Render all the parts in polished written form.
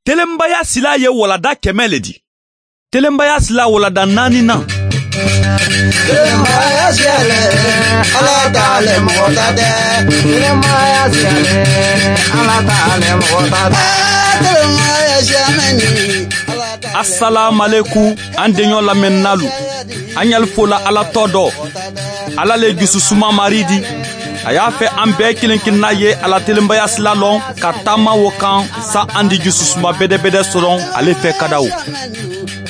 Telenbaya sila ye walada 100 le di. Telenbaya sila walada 4 na. Telenbaya siyale, Ala t'ale mɔgɔ ta tɛ. Telenbaya siyale, Ala t'ale mɔgɔ ta tɛ. Telenbaya siyamɛ ni, Ala t'ale. Assalamu alaikum, an deɲɔ lamɛnnalu. An y'al fola Ala tɔ dɔ. Ala le jususuma mari di. A y'a fɛ an bɛɛ kelen kelenna ye Ala telenbaya sila lɔn ka taama wo kan sa an di jususuma bɛdɛbɛdɛ sɔrɔ ale fɛ kadaw.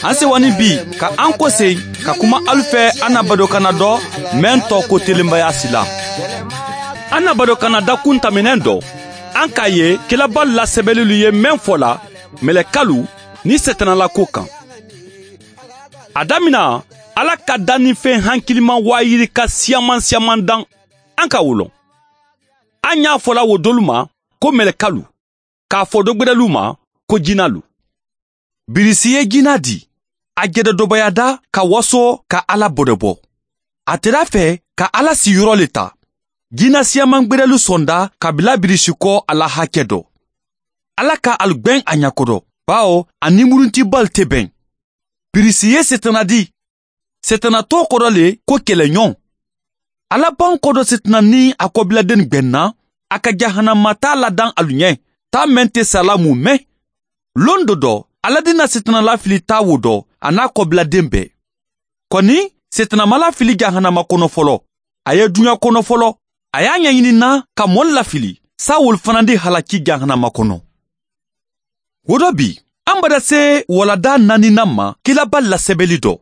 An sewani bi ka an kɔse ka kuma alu fɛ an na badokana dɔ mɛn tɔ ko telenbaya sila. An na badokana dakun taminɛn dɔ. An k'a ye kilaba lasɛbɛlilu ye mɛn fɔ la mɛlɛkalu ni sɛtanalako kan. A damina Ala ka dannifɛn hankiliman wayiri ka siyaman siyaman dan an ka wolon. An y'a fɔla wo dolu ma ko mɛlɛkalu, k'a fɔ dɔgbɛrɛlu ma ko jinalu. Birisi ye jina di, a jɛdɛdɔbayada ka waso ka Ala bɔdɛbɔ. A tɛra fɛ ka Ala siyɔrɔ le ta. Jina siyaman gbɛrɛlu sɔnda ka bila birisi kɔ a la hakɛ dɔ. Ala ka alu gwɛn a ɲakɔdɔ, bawo a nimuruntibali tɛ bɛn. Birisi ye setana di. Setana tɔ kɔrɔ le ko kɛlɛɲɔgɔn. Ala ban kɔdɔ setana ni a kɔbiladen gwɛnna, a ka jahanama t'a ladan alu ɲɛ, taa mɛn tɛ sala mun mɛn. Lon dɔ dɔ, Ala dina setana lafili taa wo dɔ, a n'a kɔbiladen bɛɛ. Kɔni, setana ma lafili jahanama kɔnɔ fɔlɔ. A ye duɲa kɔnɔ fɔlɔ. A y'a ɲɛɲinina ka mɔli lafili, sa wol fana di halaki jahanama kɔnɔ. Wo dɔ bi, an bada se walada naaninan ma kilaba lasɛbɛli dɔ.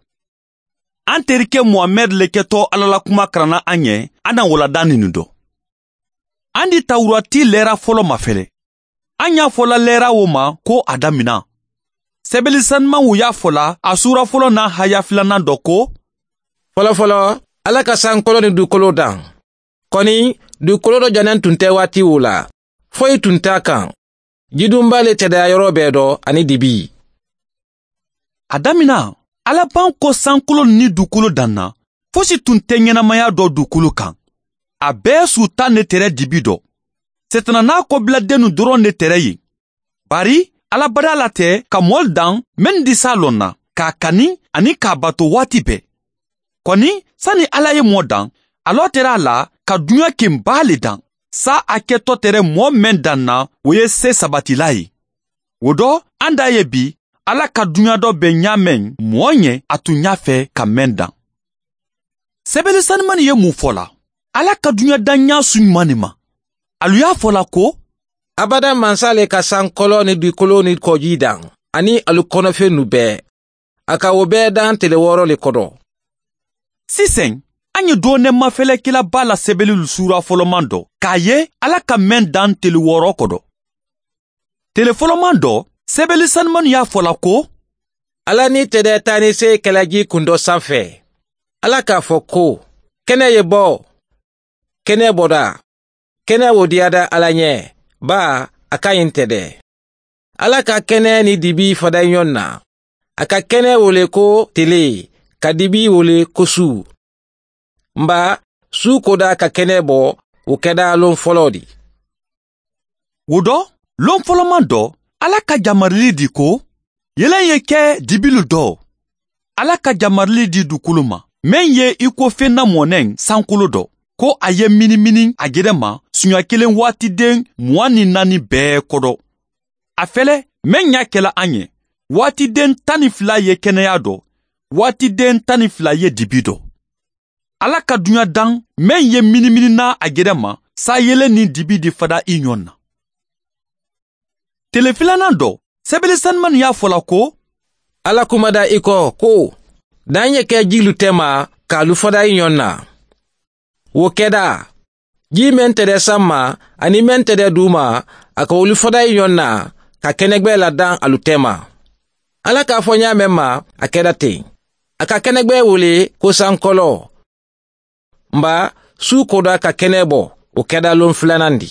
An terikɛ Mohamɛd le kɛtɔ Ala la kuma karanna an ɲɛ, an na walada ninu dɔ. An di tawurati lɛra fɔlɔ mafɛlɛ. An y'a fɔla lɛra o ma ko a damina. Sɛbɛli sanumanw y'a fɔla a sura fɔlɔ n'a haya filanan dɔ ko: Fɔlɔfɔlɔ, Ala ka sankolo ni dugukolo dan. Kɔni, dugukolo dɔ janen tun tɛ waati o la. Foyi tun t'a kan. Jidunba le tɛdaya yɔrɔ bɛɛ dɔ ani dibi. A damina, Ala ban ko sankolo ni dugukolo danna, fosi tun tɛ ɲɛnamaya dɔ dugukolo kan. A bɛɛ su tan ne tɛrɛ dibi dɔ. Setana n'a kɔbiladennu dɔrɔn ne tɛrɛ ye. Bari, Ala bada la tɛ ka mɔli dan min di sa lɔn na, k'a kani ani k'a bato waati bɛɛ. Kɔni, sani Ala ye mɔ dan, a lɔ tɛrɛ a la ka duɲa kenba le dan. Sa a kɛtɔ tɛrɛ mɔɔ mɛn dan na, o ye se sabatila ye. O dɔ, an da ye bi, Ala ka duɲa dɔ bɛ ɲa mɛn mɔɔ ɲɛ a tun y'a fɛ ka mɛn dan. Sɛbɛnni sanumani ye mun fɔ la? Ala ka duɲa dan ɲa su ɲuman de ma. Alu y'a fɔ la ko: Abada mansa le ka sankolo ni dugukolo ni kɔji dan, ani alu kɔnɔfɛn nu bɛɛ. A ka o bɛɛ dan tele wɔɔrɔ le kɔrɔ. Sisan, an ye dɔɔnin mafɛlɛkɛlaba la sɛbɛnni sura fɔlɔman dɔ, k'a ye Ala ka mɛn dan tele wɔɔrɔ kɔrɔ. Tele fɔlɔman dɔ, sɛbɛnni sanumani y'a fɔ la ko: Ala ni tɛdɛ taa ni se kɛlɛji kun dɔ sanfɛ. Ala k'a fɔ ko: kɛnɛ ye bɔ, kɛnɛ bɔda, kɛnɛ wo diyada Ala ɲɛ, ba a ka ɲi tɛ dɛ. Ala ka kɛnɛ ni dibi fada ɲɔgɔn na. A ka kɛnɛ wele ko tele, ka dibi wele ko su. Nba su koda ka kɛnɛ bɔ, o kɛda lon fɔlɔ di. O dɔ, lon fɔlɔman dɔ, Ala ka jamarili di ko, yɛlɛn ye kɛ dibilu dɔ. Ala ka jamarili di dugukolo ma, mɛn ye i ko fɛn na mɔnɛ sankolo dɔ, ko a ye minimini a gɛrɛ ma siɲɛ kelen waatiden 24 bɛɛ kɔrɔ. A fɛlɛ, mɛn y'a kɛla an ye, waatiden 12 ye kɛnɛya dɔ, waatiden 12 ye dibi dɔ. Ala ka duɲa dan, mɛn ye minimini na a gɛrɛ ma, sa yelen ni dibi di fada i ɲɔgɔn na. Tele filanan dɔ, sɛbɛnni sanumani y'a fɔ la ko: Ala kuma da i kɔ ko, dan ye kɛ jilu tɛ ma k'alu fada i ɲɔgɔn na. Wo kɛda, ji mɛn tɛ dɛ san ma ani mɛn tɛ dɛ du ma, a ka olu fada i ɲɔgɔn na ka kɛnɛgbɛ ladan alu tɛ ma. Ala k'a fɔ ɲa mɛn ma, a kɛra ten. A ka kɛnɛgbɛ wele ko sankɔlɔ. Nba su koda ka kɛnɛ bɔ, o kɛda lon filanan di.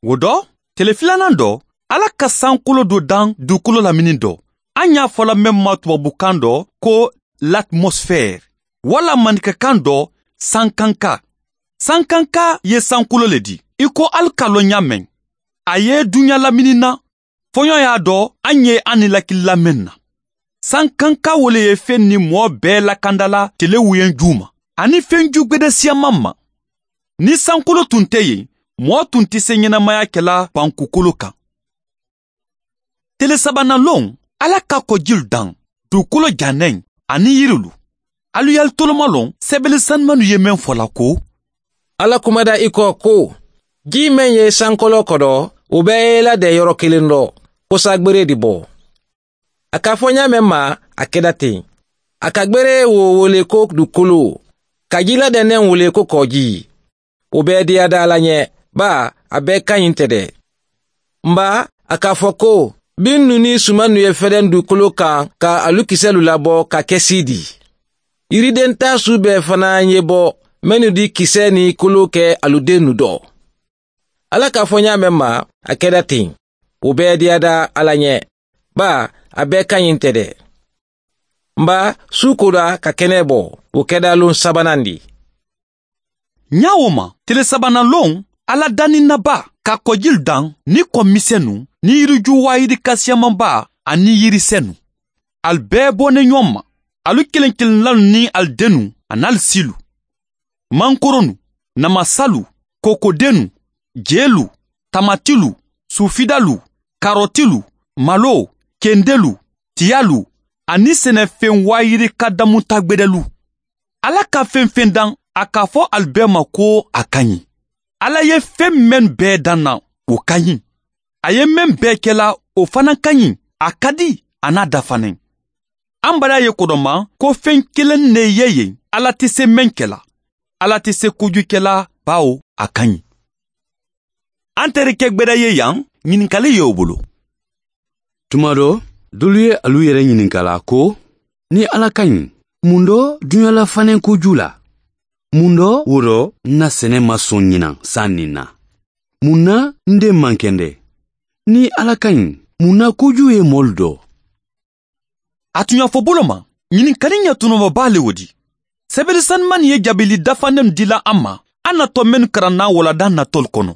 O dɔ, tele filanan dɔ, Ala ka sankolo dɔ dan dugukolo lamini dɔ. An y'a fɔla mɛn ma tubabukan dɔ ko l'atmosphère, wala maninkakan dɔ sankanka. Sankanka ye sankolo le di, i ko alu k'a lɔn ɲa mɛn. A ye duɲa lamini na, Fɔɲɔ y'a dɔn an ye an ni lakilila mɛn na. Sankanka wole ye fɛn ni mɔɔ bɛɛ lakandala tele wuyen ju ma ani fɛn ju gwɛdɛ siyaman ma. Ni sankolo tun tɛ yen, mɔɔ tun tɛ se ɲɛnamaya kɛla bankukolo kan. Tele sabanan lon, Ala ka kɔjil dan, dugukolo janɛn ani yirilu. Alu y'al toloma lɔn, sɛbɛli sanumanu ye mɛn fɔla ko Ala kumada i kɔ ko ji mɛn ye sankolo kɔdɔ, o bɛɛ ye ladɛn yɔrɔ kelen dɔ, ko sa gbere di bɔ. A ka fɔ ɲa mɛn ma, a kɛda ten. A ka gbere wo wele ko dugukolo, ka ji ladɛnnɛn wele ko kɔji. O bɛɛ diyada Ala ɲɛ, ba a bɛɛ ka ɲi tɛ dɛ. Nba a k'a fɔ ko bin nu ni suman nu ye fɛrɛn dugukolo kan ka alu kisɛlu labɔ ka kɛ si di. Yiriden ta su bɛɛ fana ye bɔ, mɛnnu di kisɛ ni kolo kɛ aluden nu dɔ. Ala k'a fɔ ɲa mɛn ma, a kɛra ten. O bɛɛ diyada Ala ɲɛ, ba a bɛɛ ka ɲi tɛ dɛ. Nba su koda ka kɛnɛ bɔ, o kɛda lon sabanan di. Ɲa o ma, tele sabanan lon, Ala danni naba ka kɔjil dan ni kɔmisɛnnu ni yiriju wayiri kasiyamanba ani yirisɛnu. Al bɛɛ bɔnen ɲɔgɔn ma, alu kelen kelenlalu ni al dennu an'al silu. Mankoronu, namasalu, kokodenu, jelu, tamatilu, sufidalu, karotilu, malo, kendelu, tiyalu, ani sɛnɛfɛn wayiri ka damuta gwɛdɛlu. Ala ka fɛn fɛn dan, a k'a fɔ al bɛɛ ma ko a ka ɲi. Ala ye fɛn mɛn bɛɛ dan na, o ka ɲi. A ye mɛn bɛɛ kɛla, o fana ka ɲi, a ka di, a n'a dafanen. An bara ye kodɔma ko fɛn kelen ne ye yen, Ala tɛ se mɛn kɛla. Ala tɛ se kojugu kɛla, bawo a ka ɲi. An terikɛ gwɛdɛ ye yan, ɲininkali ye o bolo. Tuma dɔ, dolu ye alu yɛrɛ ɲininkala ko, ni Ala ka ɲi, mun dɔ duɲala fanen koju la? Mun dɔ wo dɔ n na sɛnɛ ma sɔn ɲinan san nin na? Mun na n den man kɛndɛ? Ni Ala ka ɲi, mun na koju ye mɔlu dɔ? A tun y'a fɔ bolo ma, ɲininkali ɲɛ tɔnɔmaba le o di. Sɛbɛli sanuman ye jaabili dafanen dila an ma, an natɔ minnu karanna walada natɔl kɔnɔ.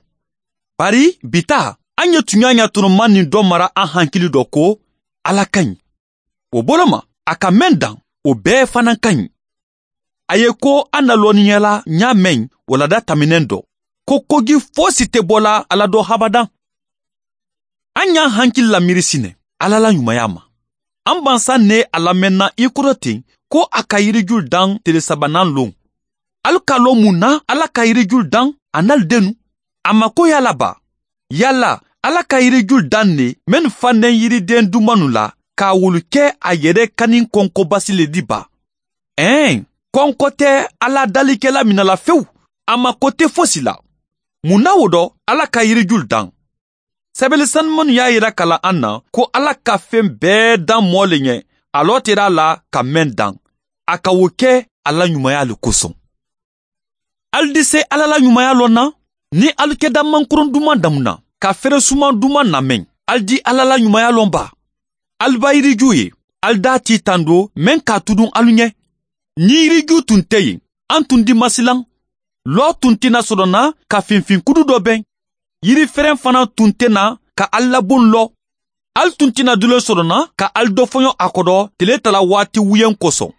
Bari bi ta, an ye tunya ɲɛ tɔnɔma nin dɔ mara an hankili dɔ ko Ala ka ɲi. O bolo ma, a ka mɛn dan, o bɛɛ fana ka ɲi. A ye ko an na lɔnniyala ɲa mɛn walada taminɛn dɔ, ko kogi fosi tɛ bɔla Ala dɔ habadan. An y'an hankili lamiri sinɛ, Ala la ɲumanya ma. An bansa ne a lamɛnna i kɔrɔ ten ko a ka yiriju dan tele sabanan lon. Alu ka lɔn mun na Ala ka yiriju dan a n'al dennu. A ma ko yala ba. Yala Ala ka yiriju dan ne mɛn fanden yiriden dumanu la k'a wulu kɛ a yɛrɛ kani kɔnkɔbasi le di ba. Ɛn, kɔnkɔ tɛ Ala dalikɛla minala fewu. A ma ko tɛ fosi la. Mun na o dɔ Ala ka yiriju dan? Sɛbɛli sanumanu y'a yira kala an na ko Ala ka fɛn bɛɛ dan mɔɔ le ɲɛ, a lɔ tera la ka mɛn dan. A ka o kɛ Ala ɲumanya le kosɔn. Alu di se Ala la ɲumanya lɔn na, ni alu kɛda mankoron duman damuna, ka fɛrɛ suman duman namɛn, alu di Ala la ɲumanya lɔn ba. Alu ba yiriju ye, alu d'a ti tando mɛn k'a tudun alu ɲɛ. Ni yiriju tun tɛ yen, an tun di masilan. Lɔ tun tɛna sɔrɔ na ka finfinkudu dɔ bɛn. Yirifɛrɛn fana tun tɛ na ka al labon lɔ. Al tun tɛna dulen sɔrɔ na ka al dɔ fɔɲɔ a kɔrɔ tele tala waati wuyen kosɔn.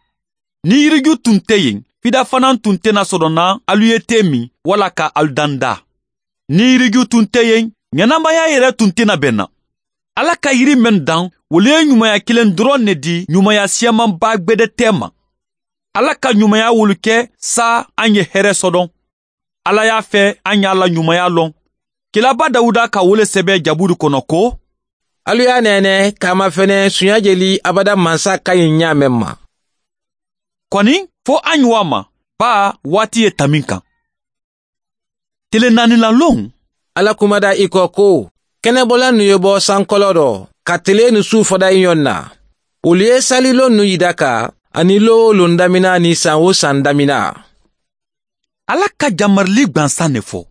Ni yiriju tun tɛ yen, fida fana tun tɛna sɔrɔ na alu ye te min wala ka al danda. Ni yiriju tun tɛ yen, ɲɛnamaya yɛrɛ tun tɛna bɛn na. Ala ka yiri mɛn dan, olu ye ɲumanya kelen dɔrɔn ne di ɲumanya siyamanba gwɛdɛ tɛ ma. Ala ka ɲumanya wolu kɛ sa an ye hɛrɛ sɔdɔn. Ala y'a fɛ an y'a la ɲumanya lɔn. Kilaba Dawuda ka wele sɛbɛ Jaburu kɔnɔ ko, Alu y'a nɛnɛ k'a ma fɛnɛ sunya jeli abada mansa ka ɲi ɲa mɛn ma. Kɔni fo an ɲuwa ma, ba waati ye tamin kan. Tele naani la lon. Ala kumada i kɔ ko, kɛnɛbɔla nu ye bɔ sankɔlɔ dɔ, ka tele ni su fɔda i ɲɔgɔn na. Olu ye salilon nu yida ka, ani lo lon damina ni san o san damina. Ala ka jamarili gwansan ne fɔ.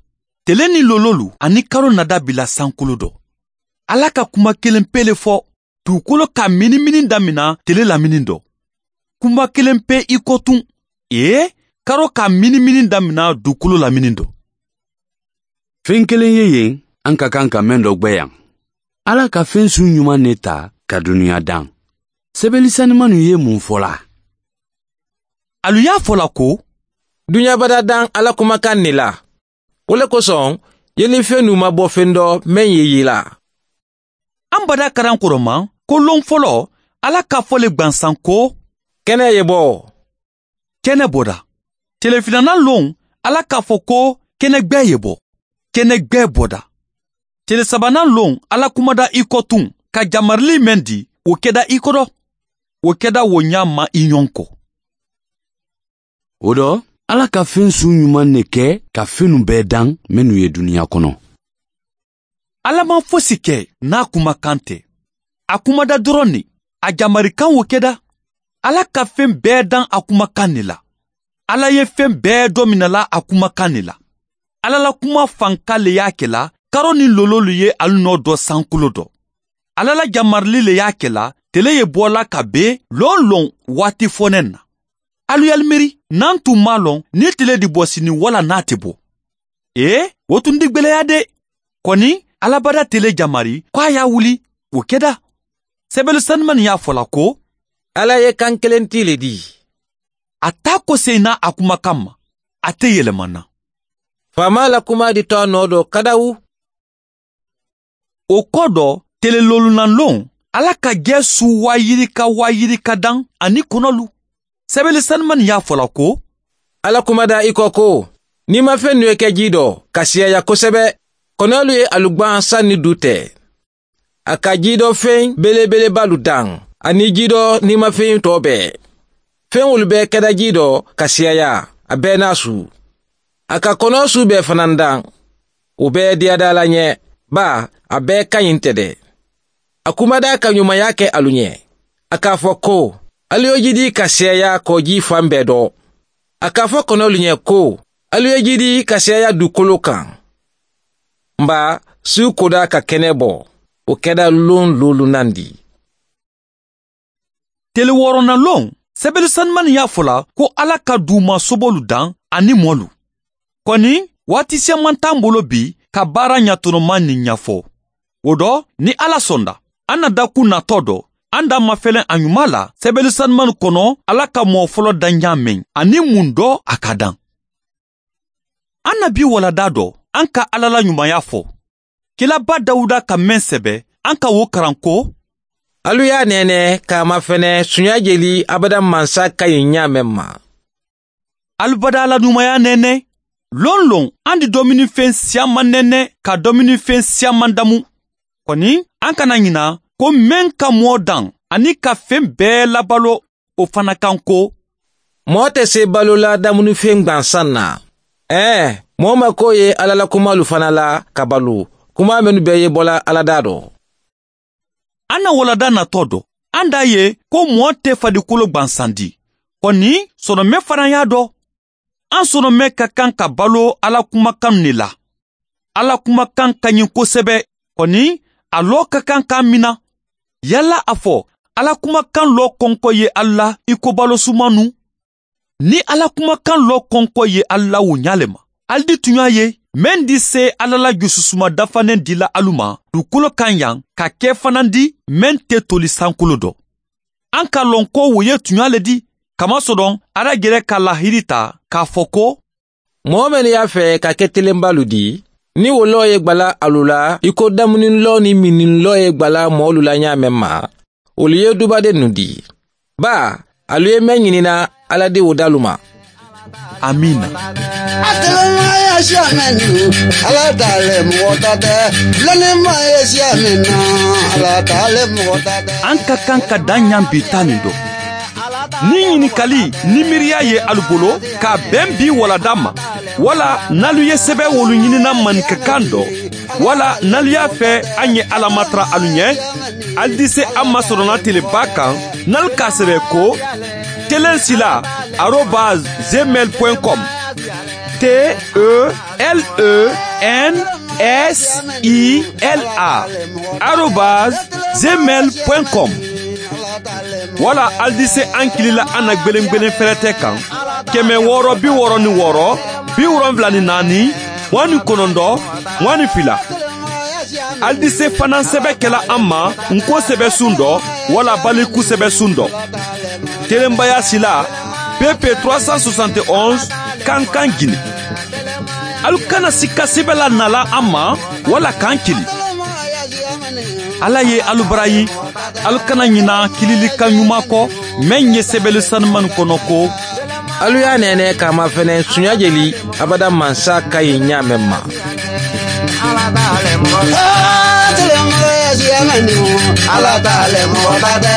Tele ni lololu ani karo nada bila sankolo dɔ. Ala ka kuma kelen pe le fɔ, dugukolo ka minimini damina tele lamini dɔ. Kuma kelen pe i ko tun, ee, karo ka minimini damina dugukolo lamini dɔ. Fɛn kelen ye yen, an ka kan ka mɛn dɔ gwɛ yan. Ala ka fɛn su ɲuman ne ta ka dunuya dan. Sɛbɛli sanimanu ye mun fɔla? Alu y'a fɔla ko duɲa bada dan Ala kumakan ne la. O le kosɔn yelifɛn nu ma bɔ fɛn dɔ mɛn ye yela. An bada karan kɔrɔma ko lon fɔlɔ Ala k'a fɔ le gwansan ko kɛnɛ ye bɔ. Kɛnɛ bɔda. Tele filanan lon Ala k'a fɔ ko kɛnɛgbɛ ye bɔ. Kɛnɛgbɛ bɔda. Tele sabanan lon Ala kumada i kɔ tun ka jamarili mɛn di o kɛda i kɔrɔ. O kɛda wo ɲa ma i ɲɔgɔn kɔ. O dɔ Ala ka fɛn su ɲuman ne kɛ ka fɛnnu bɛɛ dan minnu ye dunuya kɔnɔ. Ala ma fosi kɛ n'a kumakan tɛ. A kumada dɔrɔn ne, a jamarikan wo kɛda. Ala ka fɛn bɛɛ dan a kumakan ne la. Ala ye fɛn bɛɛ dɔ minɛla a kumakan ne la. Ala la kuma fanka le y'a kɛla karo ni lololu ye alu nɔ dɔ sankolo dɔ. Ala la jamarili le y'a kɛla tele ye bɔla ka be lon lon waati fɔnɛ na. Alu y'ali miiri n'an tun m'a lɔn ni tele di bɔ sini wala n'a tɛ bɔ. Ee, o tun di gwɛlɛya de. Kɔni Ala bada tele jamari k'a y'a wuli o kɛda. Sɛbɛli sanuman y'a fɔla ko Ala ye kan kelen ti le di. A t'a ko sen n'a a kumakan ma. A tɛ yɛlɛma na. Faama la kuma di tɔ nɔ dɔ kadawu. O kɔ dɔ tele lolunalon Ala ka jɛ su wayirika dan ani kɔnɔlu. Sɛbɛli sanuman y'a fɔla ko Ala kumada i kɔ ko n'i ma fɛn nu ye kɛ ji dɔ ka siyaya kosɛbɛ kɔnɔlu ye alugban san ni du tɛ. A ka ji dɔ fɛn belebelebalu dan ani ji dɔ n'i ma fɛn tɔ bɛɛ. Fɛn wolu bɛɛ kɛda ji dɔ ka siyaya a bɛɛ n'a su. A ka kɔnɔ su bɛɛ fana dan. O bɛɛ diyada la ɲɛ ba a bɛɛ ka ɲi tɛ dɛ. A kumada ka ɲumanya kɛ alu ɲɛ. A k'a fɔ ko alu ye jidi ka siyaya kɔji fan bɛɛ dɔ. A k'a fɔ kɔnɔlu ɲɛ ko alu ye jidi ka siyaya dugukolo kan. Nba su koda ka kɛnɛ bɔ o kɛda lon lolunan di. Tele wɔɔrɔnan lon sɛbɛli sanuman y'a fɔla ko Ala ka duguma sobolu dan ani mɔlu. Kɔni waati siaman t'an bolo bi ka baara ɲatɔnɔman nin ɲɛfɔ. O dɔ ni Ala sɔnda an na dakun natɔ dɔ an da mafɛlɛn a ɲuman la sɛbɛli sanuman kɔnɔ Ala ka mɔgɔ fɔlɔ dan ɲa mɛn ani mun dɔ a ka dan. An na bi walada dɔ an ka Ala la ɲumanya fɔ. Kilaba Dawuda ka mɛn sɛbɛ an ka wo karan ko alu y'a nɛnɛ k'a mafɛnɛ sunya jeli abada mansa ka ɲi ɲa mɛn ma. Alubada ala ɲumanya nɛnɛ. Lon lon an di dominifɛn siaman nɛnɛ ka dominifɛn siaman damu. Kɔni an kana ɲina ko mɛn ka mɔɔ dan ani ka fɛn bɛɛ labalo o fana kan ko mɔɔ tɛ se balo la damunifɛn gwansan na. Mɔɔ ma ko ye Ala la kumalu fana la ka balo kuma minnu bɛɛ ye bɔla Ala da dɔ. An na walada natɔ dɔ an d'a ye ko mɔɔ tɛ farikolo gwansan di. Kɔni sɔrɔmɛ fana y'a dɔn. An sɔrɔmɛ ka kan ka balo Ala kumakan ne la. Ala kumakan ka ɲi kosɛbɛ. Kɔni a lɔ ka kan k'an mina. Yala a fɔ Ala kumakan lɔ kɔnkɔ ye Ala i ko balo sumanu. Ni Ala kumakan lɔ kɔnkɔ ye Ala o ɲa le ma. Ali di tun y'a ye mɛn di se Ala la jususuma dafanen dila alu ma dugukolo kan yan ka kɛ fana di mɛn tɛ toli sankolo dɔ. An ka lɔn ko wo ye tunya le di kamasɔrɔ Ala yɛrɛ ka lahiri ta k'a fɔ ko mɔgɔ minnu y'a fɛ ka kɛ telenbalu di ni wolɔ ye gbala alu la i ko damunilɔ ni minilɔ ye gbala mɔɔlu la ɲa mɛn ma olu ye dubaden nu di. Ba alu ye mɛn ɲinina Ala di o dalu ma. Amina. An ka kan ka dan ɲan bi ta nin dɔ. Ni ɲininkali ni miiriya ye alu bolo k'a bɛn bi walada ma wala n'alu ye sɛbɛn wolu ɲinina maninkakan dɔ wala n'alu y'a fɛ an ye Ala matara alu ɲɛ ali di se an masɔrɔna teleba kan n'alu k'a sɛbɛn ko telensila@gmail.com telensila@gmail.com wala ali di se an kilila an na gwelen fɛrɛtɛ kan 666 74 29 22. Alu di se fana sɛbɛ kɛla an ma nko sɛbɛsun dɔ wala baliku sɛbɛsun dɔ. Telenbaya sila PP 371 Kankan Gine. Alu kana sika sɛbɛ la nala an ma wala k'an kili. Ala ye alu barayi, alu kana ɲina kililikan ɲuman kɔ mɛn ye sɛbɛli sanuman kɔnɔ ko Alu y'a nɛnɛ k'a mafɛnɛ sunya jeli abada mansa ka ɲi ɲa mɛn ma. Ala t'ale mɔgɔ ta tɛ,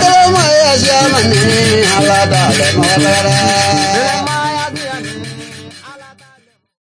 telemaya siya mani, Ala t'ale mɔgɔ ta tɛ.